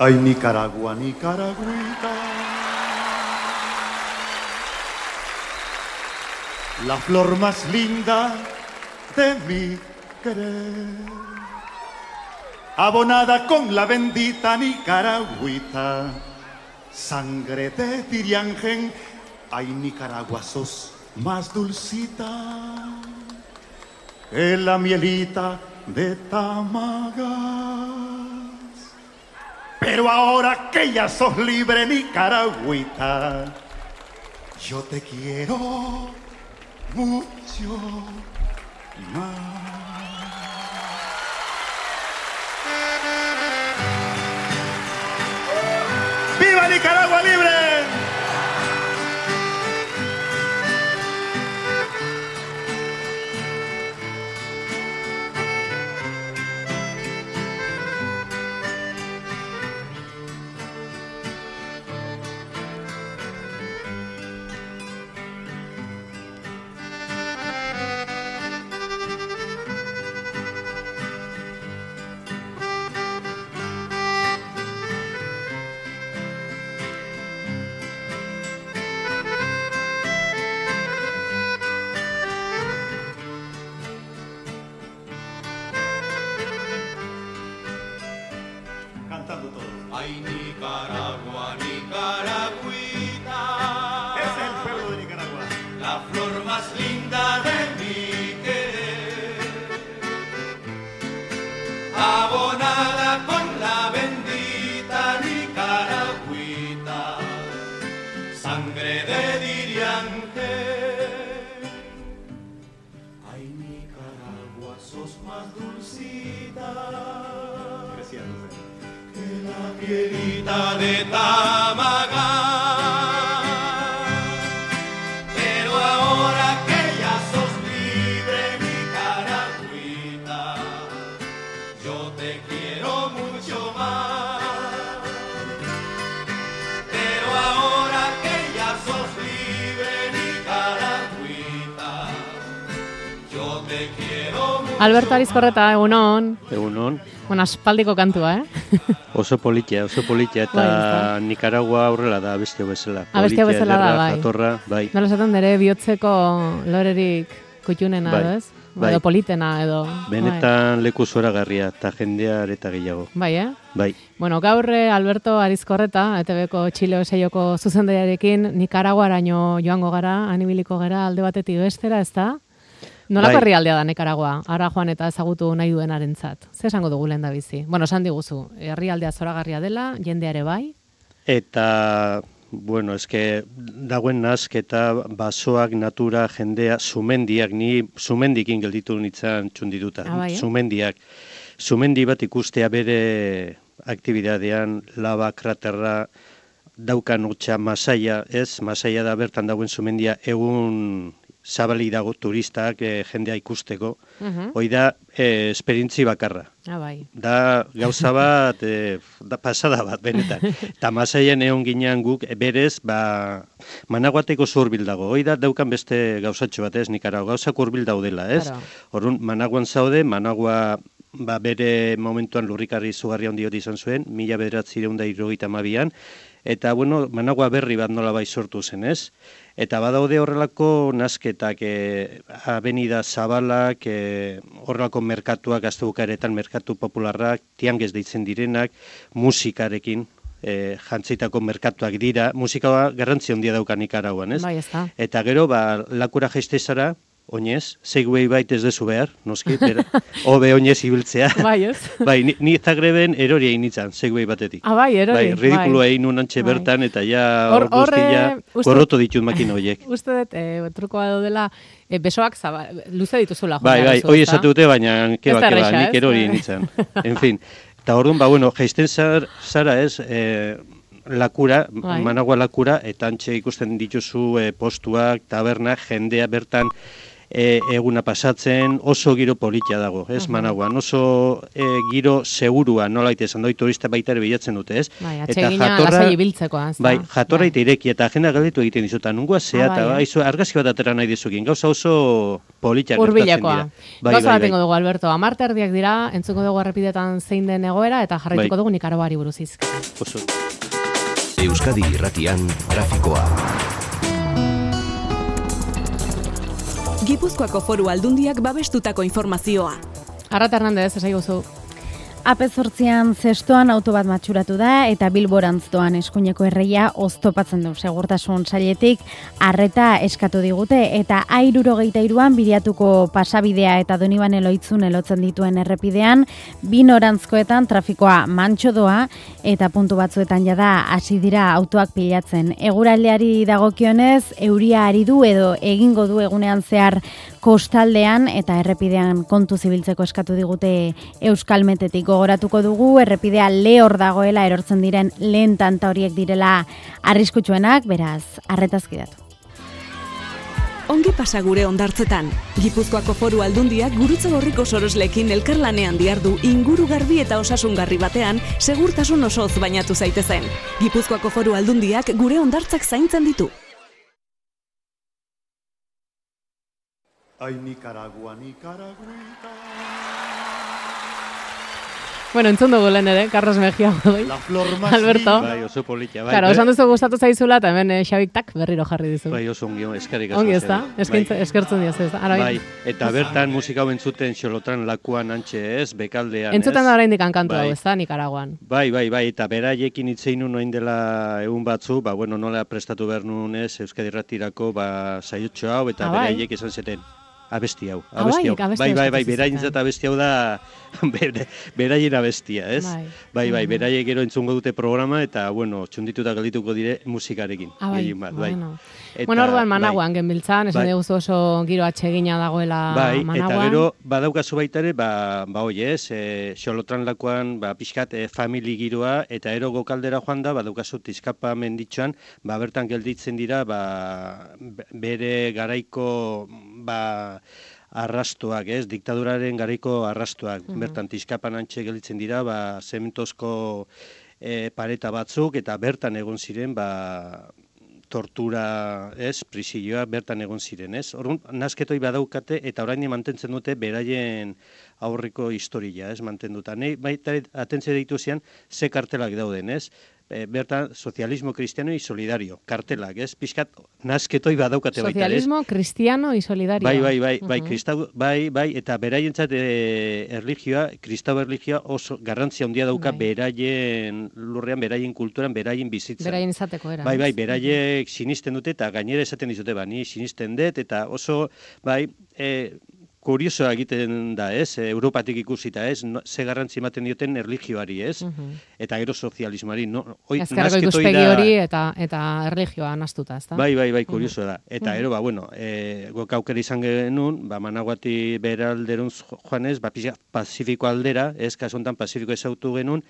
Ay, Nicaragua, Nicaragüita, la flor más linda de mi querer, abonada con la bendita Nicaragüita, sangre de Tiriangen. Ay, Nicaragua, sos más dulcita que la mielita de Tamagas. Pero ahora que ya sos libre, Nicaragüita, yo te quiero mucho más. ¡Viva Nicaragua libre! Ay, Nicaragua, Nicaragüita, Ese es el pueblo de Nicaragua, la flor más linda de mi querer, abonada con la bendita Nicaragüita, sangre de Diriange. Ay, Nicaragua, sos más dulcita que la mielita de Tamaga. Pero ahora que ya sos libre, Nicaragüita, yo te quiero mucho más. Pero ahora que ya sos libre, Nicaragüita, yo te quiero mucho más. Alberto Arizkorreta, egunon. Egunon. Bueno, aspaldiko kantua, Oso politia, eta Nicaragua aurrela da abestia bezala. Abestia bezala da, bai. Jatorra, bai. Nola esaten dere, bihotzeko lorerik kutxunena, Bai. edo ez? Bai. Edo politena, edo... Benetan leku zoragarria, eta jendea areta gehiago. Bai, Bai. Bueno, gaur Alberto Arizkorreta, ETV-ko Txile Seioko zuzendariarekin Nikaraguaraino joango gara, anibiliko gara alde batetik bestera, ez da? Nolako herrialdea da Nikaragua, ara joan eta ezagutu nahi duenarentzat? Ze esango dugu lehen da bizi? Bueno, esan diguzu, herrialdea zoragarria dela, jendeare bai? Eta, bueno, eske dagoen nasketa, basoak, natura, jendea, sumendiak, ni sumendikin gelditu nintzen txundituta. Bai, Sumendiak. Sumendi bat ikustea bere aktibidadean, laba, kraterra, daukan hotxa Masaia, ez? Masaia da bertan dagoen sumendia egun zabali dago turistak jendea ikusteko. Hoi da esperientzi bakarra. Bai. Da gauza bat, da pasada bat, benetan. Eta Masaian egon ginean guk, berez, Managuateko zurbil dago. Hoi da daukan beste gauzatxo bat, ez, Nicaragua, gauzak urbil daudela, ez? Horrun, Managuan zaude, Managua bere momentuan lurrikarri izugarri handi izan zuen, 1972an, eta, bueno, Managua berri bat nola bai sortu zen, ez? Eta badaude horrelako nasketak, avenida zabalak, horrelako merkatuak, gaztebukaretan merkatu popularrak, tiangez deitzen direnak, musikarekin, jantzeitako merkatuak dira, musika garrantzi handia dauka Nikaraguan, ez? Bai, ez da. Eta gero, lakura jaiste zara, oinez, segway bait ez dezu behar, noski, hobe oinez ibiltzea. Bai, ez? Bai, ni Zagreben erori egin nintzen, segway batetik. Bai, erori. Bai, ridikulo egin nun antxe bertan, eta ja hor guztia gorroto ditut makina horiek. Uste dut, trukoa daudela, besoak luze dituzula. Bai, hoi esatu dute, baina keba, nik erori egin nintzen. En fin, eta orduan, bueno, jaisten zara ez, lakura, Managua lakura, eta antxe ikusten dituzu postuak, tabernak, jendea bertan, eguna pasatzen, oso giro politia dago, ez, Managuan, oso giro segurua, nola esan doi turista baita ere bilatzen dute, ez? Bai, atsegina lasai ibiltzeko, ez da? Bai, jatorra eta ireki, eta agenda galditu egiten dizuta, nungua zea, eta argazki bat atera nahi dizukin, gauza oso politia gertatzen dira. Gauza bat dugu, Alberto, 10 erdiak dira, entzuko dugu errepidetan zein den egoera, eta jarraituko dugu Nikaraguari buruz izk. Oso. Euskadi Irratian trafikoa. Gipuzkoako Foru Aldundiak babestutako informazioa. Arrat Hernandez, esai guzu. AP8an zestoan auto bat matxuratu da eta Bilborantz doan eskuineko erreia oztopatzen du segurtasun sailetik arreta eskatu digute eta A73an bideatuko pasabidea eta Donibane Loitzun elotzen dituen errepidean bi norantzkoetan trafikoa mantso doa eta puntu batzuetan jada hasi dira autoak pilatzen. Eguraldiari dagokionez euria ari du edo egingo du egunean zehar kostaldean eta errepidean kontu zibiltzeko eskatu digute Euskalmetetik. Gogoratuko dugu, errepidea lehor dagoela erortzen diren lehen tanta horiek direla arriskutsuenak, beraz, arretazkidatu. Ongi pasa gure hondartzetan. Gipuzkoako Foru Aldundiak Gurutze Gorriko sorosleekin elkarlanean diardu inguru garbi eta osasungarri batean segurtasun osoz bainatu zaitezen. Gipuzkoako Foru Aldundiak gure hondartzak zaintzen ditu. Ay, Nicaragua, Nicaraguita. Bueno, entzun dugu lehen ere, Carlos Mejia goi. Alberto. Bai, oso politia. Bai, claro, osan duzu gustatu zaizula, eta hemen Xabik tak berriro jarri dizu. Bai, oso ongi, eskerrik asko. Ongi ez da? Eskertzen dioz ez da? Bai, eta bertan musika hau entzuten Xolotran lakuan antxe ez, bekaldean ez. Entzuten da oraindik kantu hau ez da, Nikaraguan. Bai, eta beraiekin hitzein noin dela egun batzu, bueno, nola prestatu behar nun ez, Euskadi Irratirako, saiotxo hau, eta beraiek esan zeten. Abesti hau. Bai, beraintzat abesti hau da beraien abestia, ez? Bai, beraiek gero entzungo dute programa eta, bueno, txundituta galdituko dire musikarekin. Bai. Bueno, orduan Managuan genbiltzan, esan dugu oso giro atsegina dagoela Managuan. Bai, eta gero badaukazu baita ere, hoi ez, Xolotran lakuan pixkat famili giroa eta ero gokaldera joan da, badaukazu Tizkapa menditxoan, bertan gelditzen dira, bere garaiko, arrastoak, ez, diktaduraren garaiko arrastoak. Bertan Tizkapan antxe gelditzen dira, zementozko pareta batzuk, eta bertan egon ziren, tortura, ez, prisioa bertan egon ziren, ez. Orduan, nazketoi badaukate, eta orain mantentzen dute beraien aurreko historia, ez, mantenduta. Nei, baita atentzia deitu zian, ze kartelak dauden, ez. Bertan, sozialismo cristiano y solidario, kartelak, ez? Pixkat, nazketoi badaukate baita, ez? Sozialismo cristiano y solidario. Bai, eta beraientzat erlijioa, kristau erlijioa oso garrantzia handia dauka beraien lurrean, beraien kulturan, beraien bizitzan. Beraien izateko era. Bai, beraiek sinisten dute eta gainera esaten dizute, ni sinisten dut, eta oso, kuriosoa egiten da, ez? Europatik ikusita, ez? Ze garrantzi ematen dioten erlijioari, ez? Eta gero sozialismoari. Ezkerreko ikuspegi hori eta erlijioa nastuta, ez da? Bai, kuriosoa da. Eta gero, gok aukera izan genuen, Managuati beralderun joanez, Pazifiko aldera, ez? Kasontan Pazifiko ezautu genuen,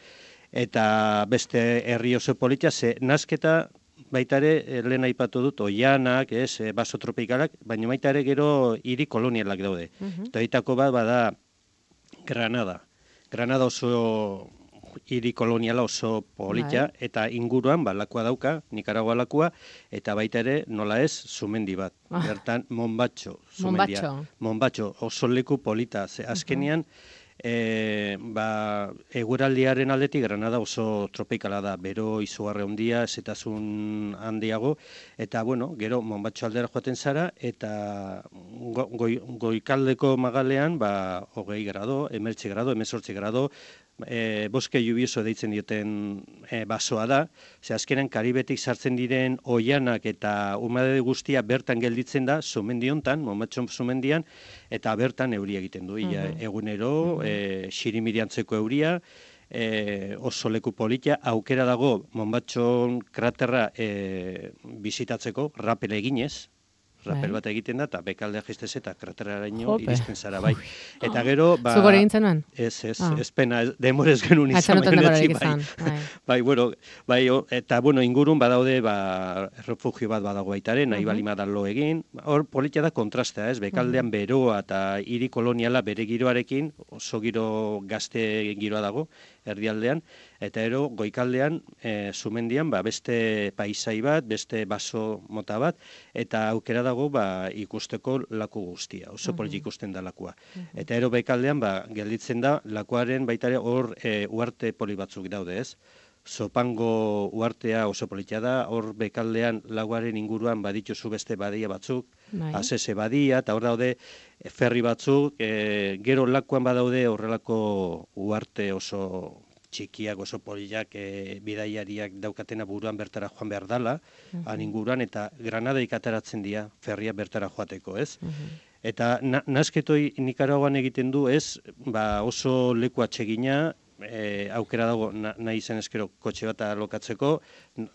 eta beste herri oso politia, ze nazketa baita ere, lehen aipatu dut, oianak, baso tropikalak, baina baita ere gero hiri kolonialak daude. Eta ditako bat bada Granada. Granada oso hiri koloniala oso politia, eta inguruan lakua dauka, Nikaragua lakua, eta baita ere, nola ez, sumendi bat. Bertan, Monbatxo sumendia. Monbatxo, oso leku polita. Azkenean, eguraldiaren aldetik Granada oso tropikala da, bero izugarri handia, zetasun handiago, eta gero Monbatxo aldera joaten zara, eta goikaldeko magalean 20 grado, 19 grado, 18 grado, boske lluvioso deitzen dioten basoa da, ze azkenan Karibetik sartzen diren oianak eta humedade guztia bertan gelditzen da, sumendi hontan, Monbatxo sumendian, eta bertan euria egiten du, egunero, xirimiriantzeko euria, oso leku politia, aukera dago Monbatxo kraterra bizitatzeko, rapel eginez, rapel bat egiten da, eta bekaldea jistez eta krateraraino iristen zara, bai. Eta gero, ba... Zugore egintzen nuen? Ez pena, demorez genuen izan, bai, bueno, bai, eta, bueno, ingurun badaude, ba, refugio bat badago baitare, nahi balima da lo egin, hor politia da kontrastea, ez, bekaldean beroa eta hiri koloniala bere giroarekin, oso giro gazte giroa dago, erdialdean, eta ero goikaldean, sumendian, ba, beste paisai bat, beste baso mota bat, eta aukera dago ba, ikusteko laku guztia, oso polit ikusten da lakua. Eta ero bekaldean, ba, gelditzen da, lakuaren baitare hor uarte poli batzuk daude, ez? Zopango uartea oso politia da, hor bekaldean laguaren inguruan badituzu beste badia batzuk, azese badia, eta hor daude ferri batzuk, gero lakuan badaude horrelako uarte oso txikiak, oso poliak, bidaiariak daukatena buruan bertara joan behar dala, han inguruan, eta Granadaik ateratzen dira ferria bertara joateko, ez? Eta nasketoi Nikaraguan egiten du, ez, ba oso leku atsegina, aukera dago nahi zen eskero kotxe bat alokatzeko,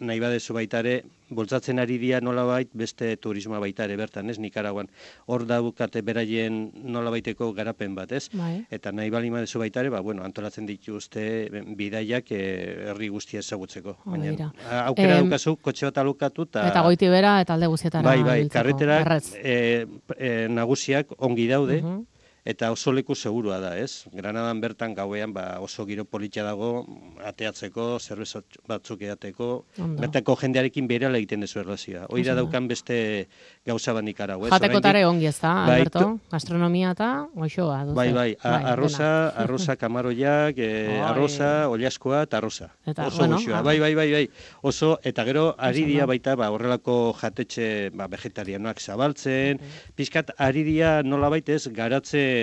nahi badezu baitare, boltzatzen ari dira nolabait beste turismoa baitare bertan, ez, Nikaraguan. Hor daukate beraien nolabaiteko garapen bat, ez? Eta nahi balima dezu baitare, ba, bueno, antolatzen dituzte bidaiak herri guztia ezagutzeko. Baina, aukera daukazu kotxe bat alokatu eta goiti bera eta alde guztietara. Bai, karreterak nagusiak ongi daude, eta oso leku segurua da, ez? Granadan bertan gauean ba, oso giro politia dago, ateatzeko, zerbez batzuk edateko, bertako jendearekin berehala egiten dezu erlazioa. Hoi da daukan beste gauza bat Nikaragu, ez? Jatekotare ongi ez da, Alberto? Gastronomia eta goxoa. Bai, arroza kamaroiak, arroza, oliaskoa eta arroza. Oso goxoa, bai. Oso, eta gero, ari dia baita horrelako jatetxe vegetarianoak zabaltzen, pixkat ari dia nola baitez garatzen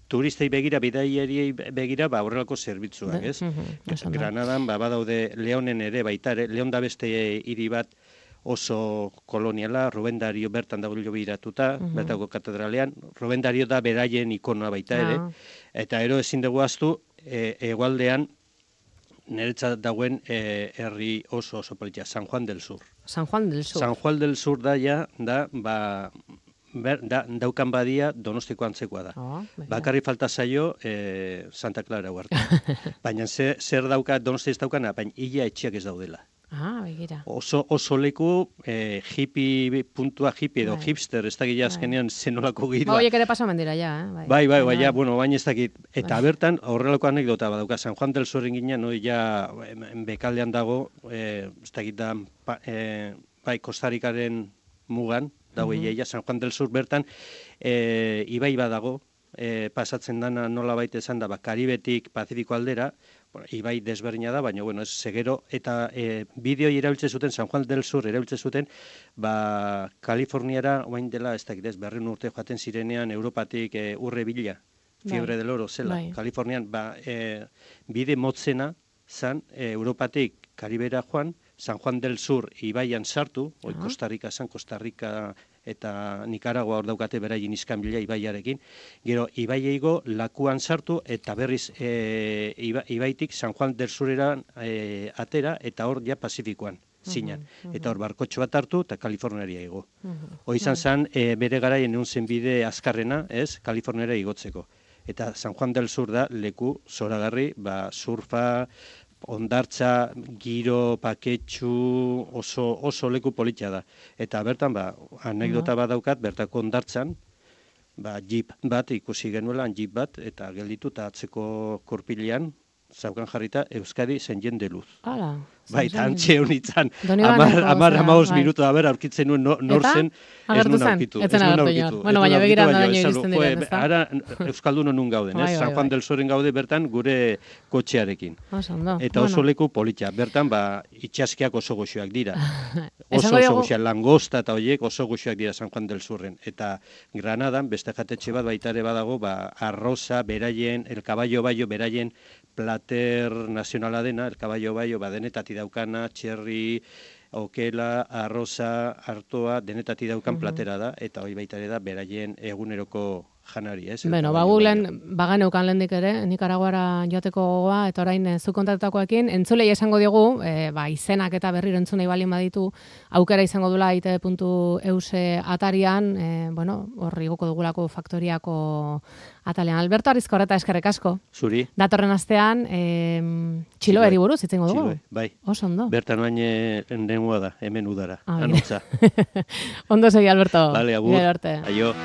turistei begira, bidaiariei begira, ba, horrelako zerbitzuak, ez? Granadan, ba, badaude Leonen ere baita, Leon da beste hiri bat oso koloniala, Ruben Dario bertan dago biratuta, bertako katedralean, Ruben Dario da beraien ikonoa baita ere, eta ero ezin dugu ahaztu, hegoaldean, niretzat dagoen herri oso politia, San Juan del Sur. San Juan del Sur. San Juan del Sur da, ba, daukan badia Donostiko antzekoa da. Bakarri falta zaio Santa Clara huerta. Baina zer dauka Donosti ez daukana, baina ia etxeak ez daudela. Begira. Oso leku hippie edo hipster, ez dakit azkenean zenolako giroa. Horiek ere pasamen dira, ja. Bai, bueno, baina ez dakit. Eta bertan, horrelako anekdota badauka, San Juan del Sur ginen, ja bekaldean dago, ez dakit da, bai, Kostarikaren mugan, dago iaia, San Juan del Sur bertan, ibai badago, pasatzen dana nola baita esan da, Karibetik Pazifiko aldera, ibai desberdina da, baina, bueno, ez segero, eta bideoi erabiltzen zuten, San Juan del Sur erabiltzen zuten, ba, Kaliforniara, oain dela, ez dakit ez, 200 urte joaten zirenean, Europatik urre bila, fiebre del oro zela, Kalifornian, ba, bide motzena zan, Europatik Karibera joan, San Juan del Sur ibaian sartu, Costa Rica zan, Costa Rica eta Nicaragua hor daukate beraien iskanbila ibaiarekin, gero ibaieigo lakuan sartu eta berriz ibaitik San Juan del Surera atera eta hor ja Pazifikoan zinan. Eta hor barkotxo bat hartu eta Kaliforniaria igo. Hoi izan zen bere garaien egun zen bide azkarrena, ez, Kaliforniara igotzeko. Eta San Juan del Sur da leku zoragarri, ba, surfa, ondartza, giro, paketxu, oso leku politia da. Eta bertan, ba, anekdota bat daukat, bertako ondartzan, ba, jeep bat ikusi genuela, jeep bat, eta gelditu eta atzeko kurpilean, zaukan jarrita, Euskadi zenien de luz. Hala. Bai, eta antxe honitzen, 10-15 minutu, aurkitzen nuen nor zen, ez nuen aurkitu. Etzen agertu joan. Bueno, baina begiran da daño iristen diren, ez da? Ara, Euskaldun honun gauden, ez? San Juan del Suren gaude bertan gure kotxearekin. Eta oso leku politia. Bertan, ba, itxaskiak oso goxoak dira. Oso goxoak, langosta eta horiek oso goxoak dira San Juan del Surren. Eta Granadan, beste jatetxe bat baitare badago, ba, arroza, beraien, el caballo bayo, beraien plater nazionala dena, el caballo bayo, ba, denetati daukana, txerri, okela, arroza, artoa, denetati daukan platera da, eta hori baita ere da, beraien eguneroko janari, ez? Bueno, bagulen, baganeukan lehendik ere, Nikaraguara joateko gogoa, eta orain zu kontaktutakoekin, entzulei esango diogu, izenak eta berriro entzunei balin baditu, aukera izango dula itv.eus atarian, horri goko dugulako faktoriako atalean. Alberto Arizkorreta, eskerrik asko. Zuri. Datorren astean, txiloeri buruz, itzengo dugu? Txiloe, bai. Oso ondo. Bertan bain nengua da, hemen udara, anotza. Ondo segi, Alberto. Vale, agur. Aio.